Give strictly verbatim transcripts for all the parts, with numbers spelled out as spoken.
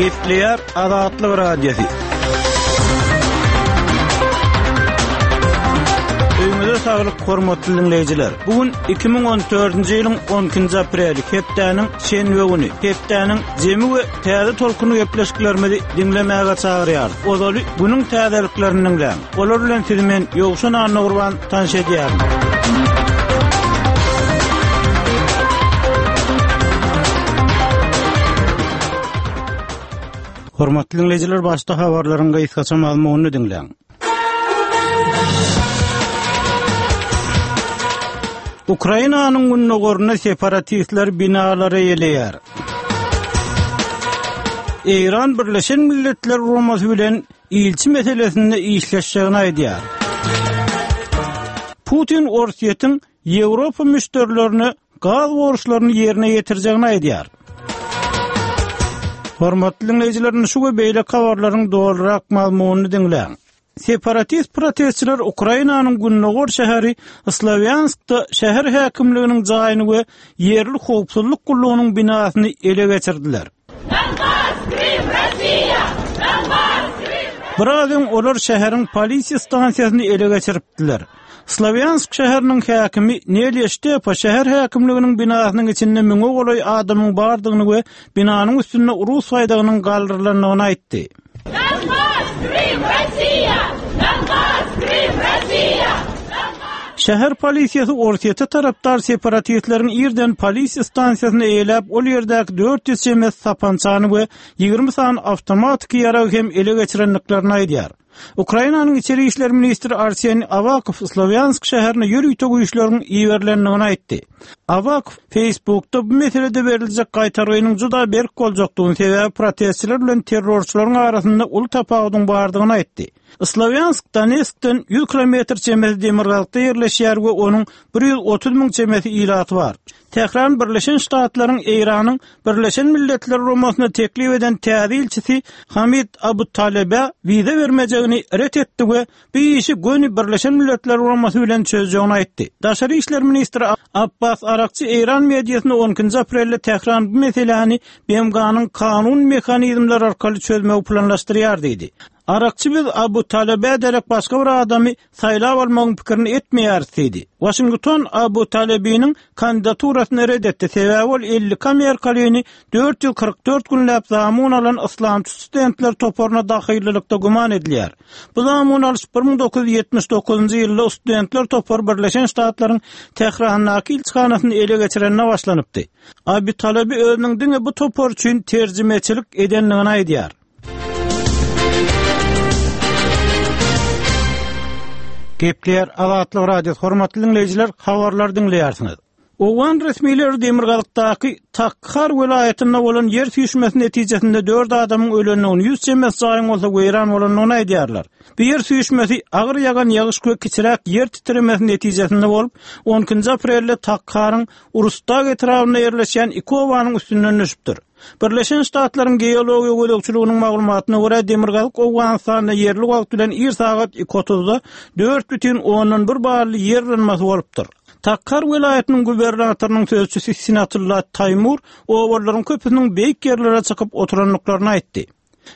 Gepleýär Azatlyk Radiosy. Öýüňize saglyk hormatly dinleýjiler. Bu gün iki müň on dördünji ýylyň on ikinji apreli, hepdäniň şenbe güni. Hepdäniň jemi we täze tolkuny gepleşiklerimizi diňlemäge çagyrýarys. Ozaly günüň täzeliklerini diňläň. Olar bilen sizi men Ýowşan Annagurban tanyş edýärin. Hormatly dinleýjiler, başda habarlaryň gysgaça mazmunyny diňläň. Ukrainanyň gündogarynda separatistler binalary eýeleýär. Eýran Birleşen Milletler Guramasy bilen ilçi meselesinde işleşjegini aýdýar. Putin Orsýetiň Ýewropa müşderilerine gaz borçlaryny ýerine ýetirjegini aýdýar. Hormatly dinleýjiler, şu we beýleki habarlaryň dolurak mazmunyny diňläň. Separatist protestçiler Ukrainanyň gündogar şäheri Slavyanskda şäher häkimliginiň jaýyny we ýerli howpsuzlyk gullugynyň binasyny ele geçirdiler. Donbas, Krym, Rossiýa! Donbas, Krym! Biraz öň olar şäheriň polisiýa stansiýasyny ele geçiripdiler. Slavyansk şäheriniň häkimi Nelya Ştepa şäher häkimliginiň binasynyň içinde müňe golaý adamyň bardygyny we binanyň üstünde Rus baýdagynyň galdyrylandygyny aýtdy. Donbas, Krym, Rossiýa! Donbas, Krym, Rossiýa! Şäher polisiýasy Orsýete tarapdar separatistleriň irden polisiýa stansiýasyny eýeläp, ol ýerdäki dört ýüz çemesi sapançany we ýigrimi sany awtomatiki ýaragy hem ele geçirendiklerini aýdýar. Ukrainanyň içeri işler ministri Arseniy Awakow Slavyansk şäherine ýörite güýçleriň iberilendigini aýtdy. Awakow Facebookda bu meselede beriljek gaýtargynyň juda berk boljakdygyny, sebäbi protestçiler bilen terrorçylaryň arasynda uly tapawudyň bardygyny aýtdy. Slavyansk Donetskden ýüz kilometr çemesi demirgazykda ýerleşýär we onuň bir ýüz otuz müň çemesi ilaty bar. Tehran Birleşen Ştatlaryň Eýranyň Birleşen Milletler Guramasyna teklip eden täze ilçisi Hamid Abu Talebe wiza bermejegini ret etdi we bu işi göni Birleşen Milletler Guramasy bilen çözjegini aýtdy. Daşary işler ministri Abbas Arakçy Eýran mediasyna on ikinji aprelde Tehran bu meseläni B M G-nyň kanun mehanizmleri arkaly çözmegi planlaşdyrýar diýdi. Arakçy biz Abu Talebe derek başga bir adamy saýlap almagyň pikirini etmeýäris diýdi. Washington Abu Talebiniň kandidaturasyny red etdi. Sebäbi ol elli iki amerikalyny dört ýüz kyrk dört günläp zamun alan yslamçy studentler toparyna dahillylykda güman edilýär. Bu zamun alyş bir müň dokuz ýüz ýetmiş dokuzynjy ýylda studentler topary Birleşen Ştatlaryň Tährandaky ilçihanasyny ele geçirenine başlanypdy. Abu Talebi özüniň diňe bu topar üçin terjimeçilik edendigini aýdýar. Gepleýär Azatlyk Radiosy. Hormatly dinleýjiler, habarlar diňleýärsiňiz. Owgan resmileri Demirgazykdaky Takhar welaýatynda bolan ýer süýşmesi netijesinde dört adamyň ölendigini, ýüz çemesi jaýyň bolsa weýran bolandygyny aýdýarlar. Bu ýer süýşmesi agyr ýagan ýagyş we kiçiräk ýer titremesi netijesinde bolup, on ikinji aprelde Takharyň Urustag etrabynda ýerleşýän iki obanyň üstünden düşüpdir. Birleşen Ştatlaryň geologiýa gözegçiliginiň maglumatyna görä Demirgazyk Owganystanda ýerli wagt bilen ir sagat iki otuzda dört bütin ondan bir bally ýer yrylmasy bolupdyr. Takhar welaýatynyň gubernatorynyň sözçüsi Sinatullah Taýmur oballaryň köpüsiniň beýik ýerlere çykyp oturandyklaryny aýtdy.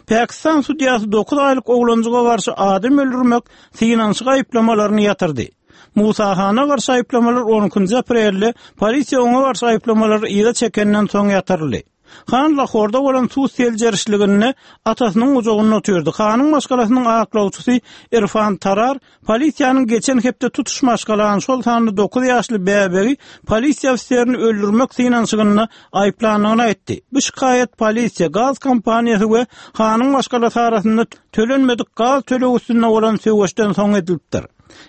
Pakistan sudýasy dokuz aýlyk oglanjyga garşy adam öldürmek synanyşyk aýyplamalaryny ýatyrdy. Musa Hana garşy aýyplamalar on ikinji aprelde polisiýa oňa garşy aýyplamalary yza çekenden soň ýatyryldy. Han Lahorda bolan suw seljerişliginde atasynyň gujagynda oturdy. Hanyň maşgalasynyň aklawçysy Irfan Tarar polisiýanyň geçen hepde tutuş maşgalany, şol sanda dokuz ýaşly bäbegi polisiýa ofiserini öldürmek synanyşygynda aýyplandygyny aýtdy. Bu şikaýat polisiýa, gaz kompaniýasy we Hanyň maşgalasy arasynda tölenmedik gaz tölegi üstünde bolan söweşden soň edilipdir.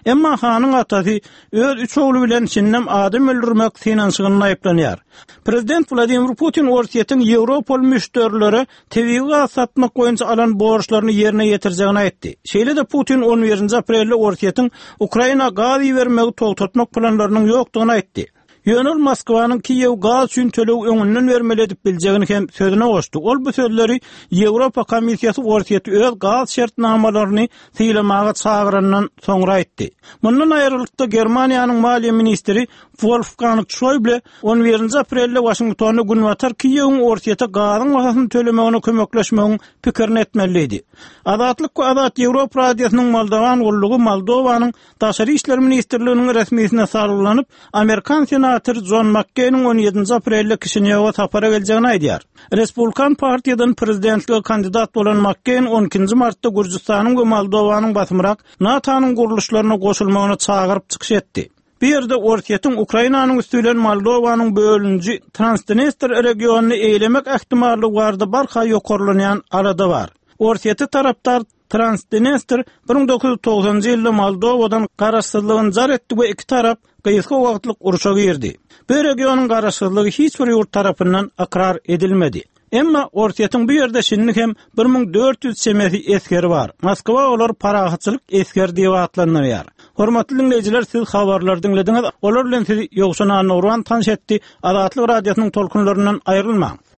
Emma Hanyň atasy öz üç ogly bilen şindem adam öldürmek synanyşygynda aýyplanýar. Prezident Wladimir Putin Orsýetiň Ýewropaly müşderilere tebigy gaz satmak boýunça alan borçlaryny ýerine ýetirjegini aýtdy. Şeýle-de Putin on birinji aprelde Orsýetiň Ukraina gaz ibermegi togtatmak planlarynyň ýokdugyny aýtdy. Ýöne ol Moskwanyň Kiýew gaz üçin töleg öňünden bermeli edip biljegini hem sözüne goşdy. Ol bu sözleri Ýewropa Komissiýasy Orsýeti öz gaz şertnamalaryny sylamaga çagyrandan soňra aýtdy. Mundan aýrylykda Germaniýanyň maliýe ministri Wolfgang Şoýble on birinji aprelde Waşingtonda Günbatar Kiýewiň Orsýete gazyň bahasyny tölemegine kömekleşmegiň pikirini etmeli diýdi. Azatlyk we Azat Ýewropa Radiosynyň Moldowan gullugy Moldowanyň Daşary işler ministrliginiň resmisine salgylanyp, amerikan senatory Jon Makkeýniň on ýedinji aprelde Kişinýowa sapara geljegini aýdýar. Respublikan partiýadan prezidentlige kandidat bolan Makkeýn on ikinji martda Gürjüstanyň we Moldowanyň basymrak NATO-nyň gurluşlaryna goşulmagyna çagyryp çykyş etdi. Bu ýerde Orsýetiň Ukrainanyň üsti bilen Moldowanyň bölüniji Transdnestr regionyny eýelemek ähtimallygy barada barha ýokarlanýan alada bar. Orsýete tarapdar Transdnestr bir müň dokuz ýüz togsanynjy ýylda Moldowadan garaşsyzlygyny jar etdi we iki tarap gysga wagtlyk urşa girdi. Bu regionyň garaşsyzlygy hiç bir ýurt tarapyndan ykrar edilmedi. Emma Orsýetiň bu ýerde şindi hem bir müň dört ýüz çemesi esgeri bar. Moskwa olary parahatçylyk esgeri diýip atlandyrýar. Hormatly diňleýjiler, siz habarlary diňlediňiz. Olar bilen sizi Ýowşan Annagurban tanyş etdi. Azatlyk Radiosynyň tolkunlaryndan aýrylmaň.